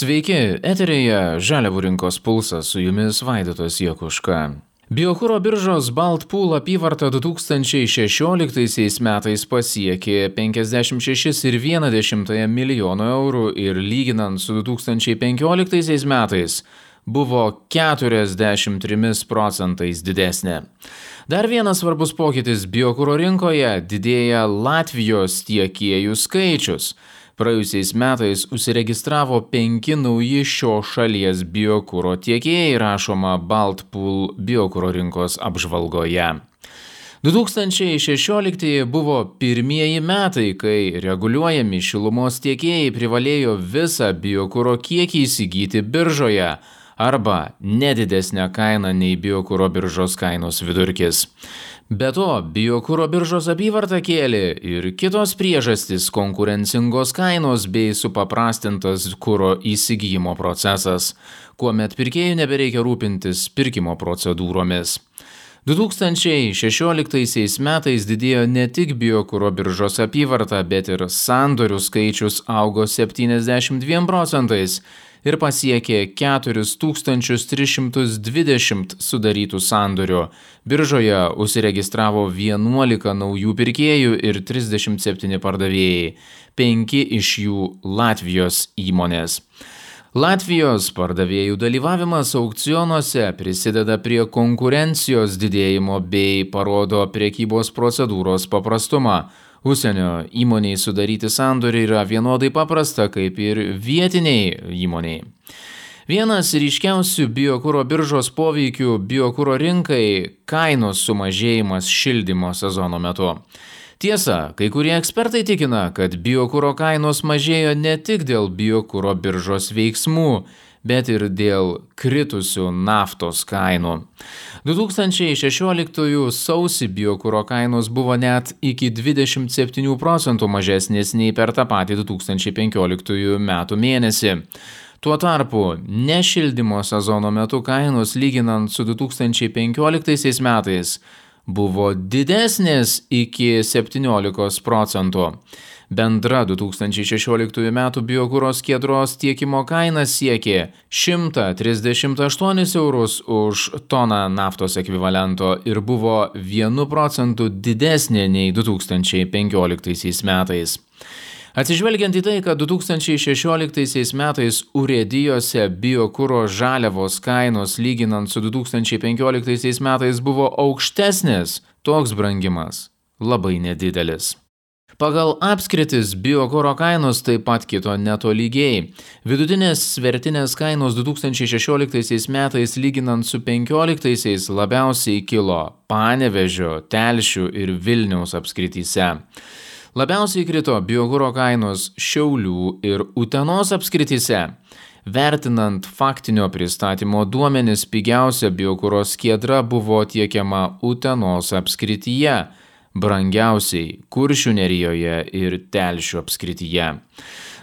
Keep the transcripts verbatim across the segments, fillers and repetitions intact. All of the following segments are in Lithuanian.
Sveiki, eteryje Žaliavų rinkos pulsas, su jumis Vaidotas Jakuška. Biokuro biržos Baltpool apyvarta du tūkstančiai šešioliktaisiais metais pasiekė penkiasdešimt šešis ir vieną dešimtąją milijono eurų ir lyginant su du tūkstančiai penkioliktaisiais metais buvo keturiasdešimt trimis procentais didesnė. Dar vienas svarbus pokytis biokuro rinkoje – didėja Latvijos tiekėjų skaičius. Praėjusiais metais užsiregistravo penki nauji šios šalies biokuro tiekėjai, rašoma Baltpool biokuro rinkos apžvalgoje. du tūkstančiai šešioliktieji buvo pirmieji metai, kai reguliuojami šilumos tiekėjai privalėjo visą biokuro kiekį įsigyti biržoje arba nedidesnę kainą nei biokuro biržos kainos vidurkis. Be to, biokuro biržos apyvartą kėlė ir kitos priežastys – konkurencingos kainos bei supaprastintas kuro įsigijimo procesas, kuomet pirkėjų nebereikia rūpintis pirkimo procedūromis. du tūkstančiai šešioliktaisiais metais didėjo ne tik biokuro biržos apyvarta, bet ir sandorių skaičius augo septyniasdešimt dviem procentais ir pasiekė keturis tūkstančius tris šimtus dvidešimt sudarytų sandorių. Biržoje užsiregistravo vienuolika naujų pirkėjų ir trisdešimt septyni pardavėjai, penki iš jų Latvijos įmonės. Latvijos pardavėjų dalyvavimas aukcionuose prisideda prie konkurencijos didėjimo bei parodo prekybos procedūros paprastumą. Užsienio įmoniai sudaryti sandorį yra vienodai paprasta kaip ir vietiniai įmoniai. Vienas ryškiausių biokuro biržos poveikių biokuro rinkai – kainos sumažėjimas šildymo sezono metu. Tiesa, kai kurie ekspertai tikina, kad biokuro kainos mažėjo ne tik dėl biokuro biržos veiksmų, bet ir dėl kritusių naftos kainų. du tūkstančiai šešioliktųjų sausį biokuro kainos buvo net iki dvidešimt septynių procentų mažesnės nei per tą patį du tūkstančiai penkioliktųjų metų mėnesį. Tuo tarpu, nešildymo sezono metu kainos lyginant su du tūkstančiai penkioliktaisiais metais buvo didesnės iki septyniolikos procentų. Bendra du tūkstančiai šešioliktųjų metų biokuro skiedros tiekimo kaina siekė šimtą trisdešimt aštuonis eurus už toną naftos ekvivalento ir buvo vienu procentu didesnė nei du tūkstančiai penkioliktaisiais metais. Atsižvelgiant į tai, kad du tūkstančiai šešioliktaisiais metais urėdijose biokuro žaliavos kainos lyginant su du tūkstančiai penkioliktaisiais metais buvo aukštesnės, toks brangimas labai nedidelis. Pagal apskritis biokuro kainos taip pat kito netolygiai. Vidutinės svertinės kainos du tūkstančiai šešioliktaisiais metais lyginant su penkioliktaisiais labiausiai kilo Panevėžio, Telšių ir Vilniaus apskrityse. Labiausiai krito biokuro kainos Šiaulių ir Utenos apskrityse. Vertinant faktinio pristatymo duomenis, pigiausia biokuro skiedra buvo tiekiama Utenos apskrityje, brangiausiai Kuršių nerijoje ir Telšių apskrityje.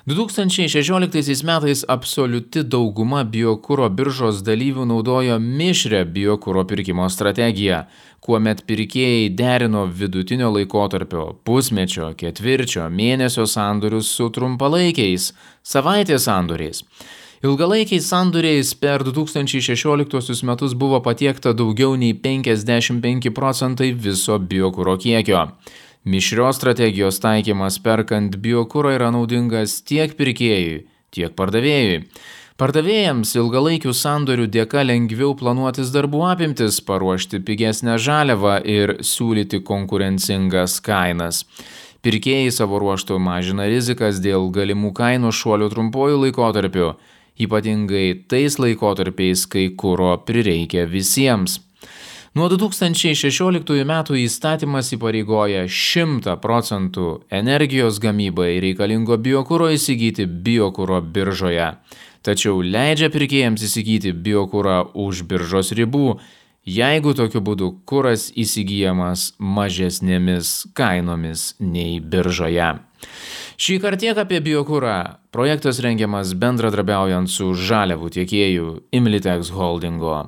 du tūkstančiai šešioliktaisiais metais absoliuti dauguma biokuro biržos dalyvių naudojo mišrią biokuro pirkimo strategiją, kuomet pirkėjai derino vidutinio laikotarpio, pusmečio, ketvirčio, mėnesio sandorius su trumpalaikiais, savaitės sandoriais. Ilgalaikiais sandoriais per du tūkstančiai šešioliktosius metus buvo patiekta daugiau nei penkiasdešimt penki procentai viso biokuro kiekio. Mišrios strategijos taikymas perkant biokuro yra naudingas tiek pirkėjui, tiek pardavėjui. Pardavėjams ilgalaikių sandorių dėka lengviau planuotis darbų apimtis, paruošti pigesnę žaliavą ir siūlyti konkurencingas kainas. Pirkėjai savo ruožtu mažina rizikas dėl galimų kainų šuolių trumpuoju laikotarpiu, ypatingai tais laikotarpiais, kai kuro prireikia visiems. Nuo du tūkstančiai šešioliktųjų metų įstatymas įpareigoja šimtą procentų energijos gamybai reikalingo biokuro įsigyti biokuro biržoje, tačiau leidžia pirkėjams įsigyti biokurą už biržos ribų, jeigu tokiu būdu kuras įsigyjamas mažesnėmis kainomis nei biržoje. Šį kartą tiek apie biokurą. Projektas rengiamas bendradarbiaujant su žaliavų tiekėju Imlitex Holdingo.